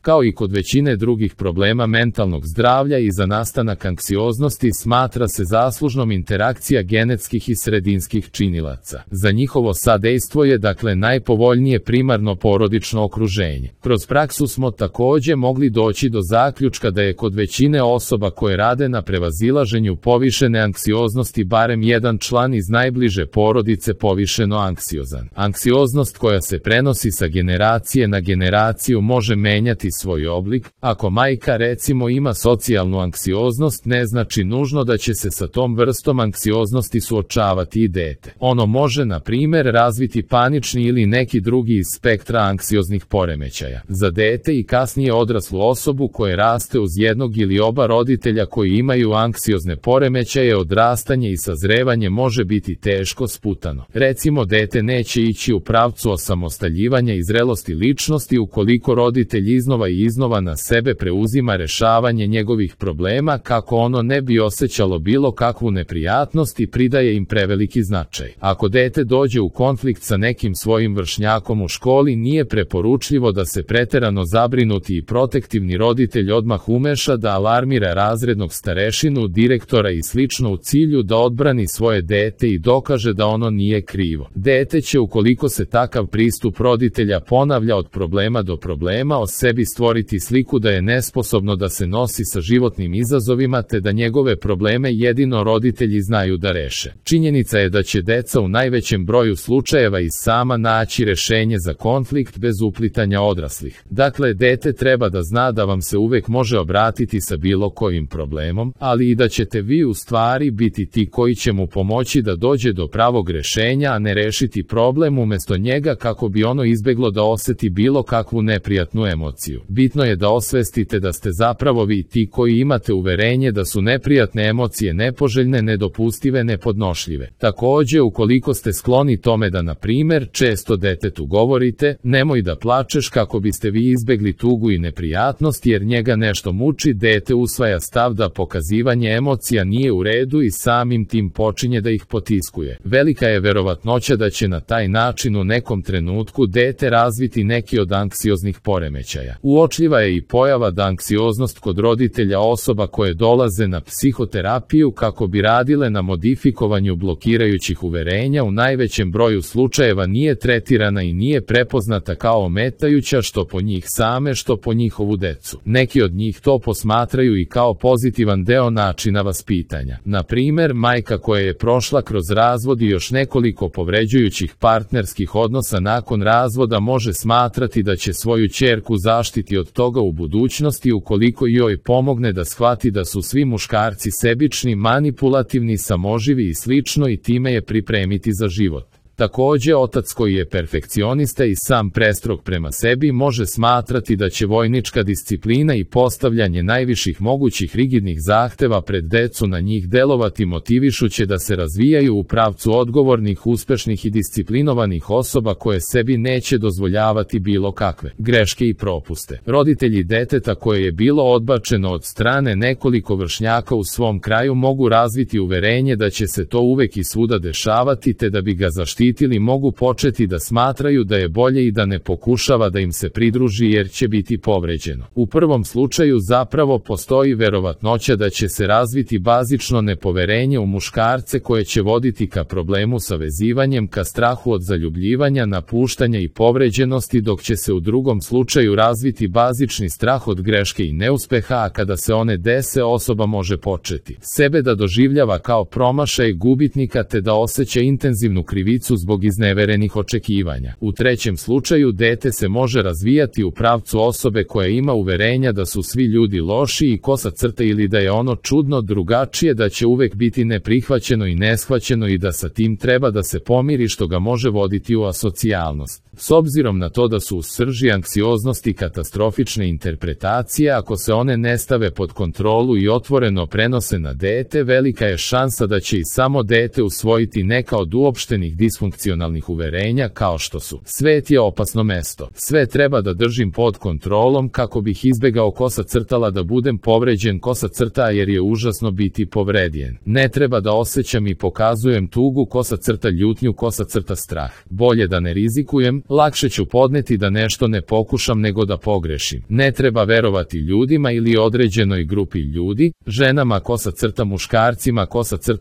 Kao i kod većine drugih problema mentalnog zdravlja i za nastanak anksioznosti smatra se zaslužnom interakcija genetskih i sredinskih činilaca. Za njihovo sadejstvo je dakle najpovoljnije primarno porodično okruženje. Kroz praksu smo takođe mogli doći do zaključka da je kod većine osoba koje rade na prevazilaženju povišene anksioznosti barem jedan član iz najbliže porodice povišeno anksiozan. Anksioznost koja se prenosi sa generacije na generaciju može menjati svoj oblik. Ako majka recimo ima socijalnu anksioznost, ne znači nužno da će se sa tom vrstom anksioznosti suočavati i dete. Ono može, na primer, razviti panični ili neki drugi iz spektra anksioznih poremećaja. Za dete i kasnije odraslu osobu koje raste uz jednog ili oba roditelja koji imaju anksiozne poremećaje, odrastanje i sazrevanje može biti teško sputano. Recimo, dete neće ići u pravcu osamostaljivanja i zrelosti ličnosti ukoliko roditelj iznova i iznova na sebe preuzima rešavanje njegovih problema kako ono ne bi osjećalo bilo kakvu neprijatnost i pridaje im preveliki značaj. Ako dete dođe u konflikt sa nekim svojim vršnjakom u školi, nije preporučljivo da se preterano zabrinuti i protektivni roditelj odmah umeša da alarmira razrednog starešinu, direktora i slično u cilju da odbrani svoje dete i dokaže da ono nije krivo. Dete će, ukoliko se takav pristup roditelja ponavlja od problema do problema, o sebi stvoriti sliku da je nesposobno da se nosi sa životnim izazovima te da njegove probleme jedino roditelji znaju da reše. Činjenica je da će deca u najvećem broju slučajeva i sama naći rešenje za konflikt bez uplitanja odraslih. Dakle, dete treba da zna da vam se uvek može obratiti sa bilo kojim problemom, ali i da ćete vi u stvari biti ti koji će mu pomoći da dođe do pravog rešenja, a ne rešiti problem umesto njega kako bi ono izbeglo da oseti bilo kakvu neprijatnu emociju. Bitno je da osvestite da ste zapravo vi ti koji imate uverenje da su neprijatne emocije nepoželjne, nedopustive, nepodnošljive. Takođe, ukoliko ste skloni tome da, na primer, često detetu govorite nemoj da plačeš kako biste vi izbegli tugu i neprijatnost jer njega nešto muči, dete usvaja stav da pokazivanje emocija nije u redu i samim tim počinje da ih potiskuje. Velika je verovatnoća da će na taj način u nekom trenutku dete razviti neki od anksioznih poremećaja. Uočljiva je i pojava da anksioznost kod roditelja osoba koje dolaze na psihoterapiju kako bi radile na modifikovanju blokirajućih uverenja u najvećem broju slučajeva nije tretirana i nije prepoznata kao ometajuća što po njih same, što po njihovu decu. Neki od njih to posmatraju i kao pozitivan deo načina vaspitanja. Na primer, majka koja je prošla kroz razvod i još nekoliko povređujućih partnerskih odnosa nakon razvoda može smatrati da će svoju ćerku zaštiti od toga u budućnosti ukoliko joj pomogne da shvati da su svi muškarci sebični, manipulativni, samoživi i slično i time je pripremiti za život. Takođe, otac koji je perfekcionista i sam prestrog prema sebi može smatrati da će vojnička disciplina i postavljanje najviših mogućih rigidnih zahteva pred decu na njih delovati motivišuće da se razvijaju u pravcu odgovornih, uspešnih i disciplinovanih osoba koje sebi neće dozvoljavati bilo kakve greške i propuste. Roditelji deteta koje je bilo odbačeno od strane nekoliko vršnjaka u svom kraju mogu razviti uverenje da će se to uvek i svuda dešavati te da bi ga zaštitili mogu početi da smatraju da je bolje i da ne pokušava da im se pridruži jer će biti povređeno. U prvom slučaju zapravo postoji verovatnoća da će se razviti bazično nepoverenje u muškarce koje će voditi ka problemu sa vezivanjem, ka strahu od zaljubljivanja, napuštanja i povređenosti, dok će se u drugom slučaju razviti bazični strah od greške i neuspeha, a kada se one dese osoba može početi sebe da doživljava kao promašaj gubitnika te da osjeća intenzivnu krivicu zbog izneverenih očekivanja. U trećem slučaju dete se može razvijati u pravcu osobe koja ima uverenja da su svi ljudi loši i kosa crta ili da je ono čudno, drugačije, da će uvek biti neprihvaćeno i neshvaćeno i da sa tim treba da se pomiri što ga može voditi u asocijalnost. S obzirom na to da su u srži anksioznosti katastrofične interpretacije, ako se one ne stave pod kontrolu i otvoreno prenose na dete, velika je šansa da će i samo dete usvojiti neka od uopštenih disfunkcionalnih uverenja kao što su: svet je opasno mesto, sve treba da držim pod kontrolom kako bih izbegao kosa crtala da budem povređen kosa crta jer je užasno biti povredjen, ne treba da osjećam i pokazujem tugu kosa crta ljutnju kosa crta strah, bolje da ne rizikujem, lakše ću podneti da nešto ne pokušam nego da pogrešim. Ne treba verovati ljudima ili određenoj grupi ljudi, ženama _muškarcima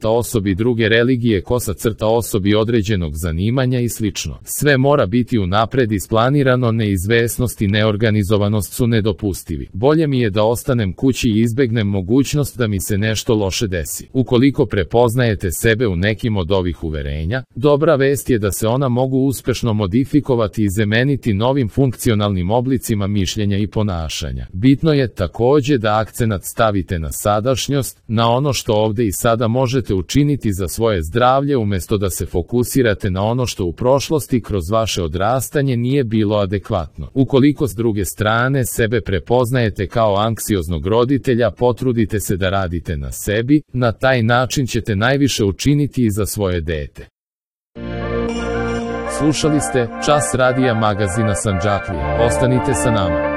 _osobi druge religije osobi određenog zanimanja i slično. Sve mora biti unapred isplanirano, neizvesnost i neorganizovanost su nedopustivi. Bolje mi je da ostanem kući i izbegnem mogućnost da mi se nešto loše desi. Ukoliko prepoznajete sebe u nekim od ovih uverenja, dobra vest je da se ona mogu uspešno modifikovati i zameniti novim funkcionalnim oblicima mišljenja i ponašanja. Bitno je takođe da akcenat stavite na sadašnjost, na ono što ovde i sada možete učiniti za svoje zdravlje umesto da se fokusirate na ono što u prošlosti kroz vaše odrastanje nije bilo adekvatno. Ukoliko s druge strane sebe prepoznajete kao anksioznog roditelja, potrudite se da radite na sebi, na taj način ćete najviše učiniti i za svoje dete. Slušali ste Čas radija magazina Sandžaklija. Ostanite sa nama.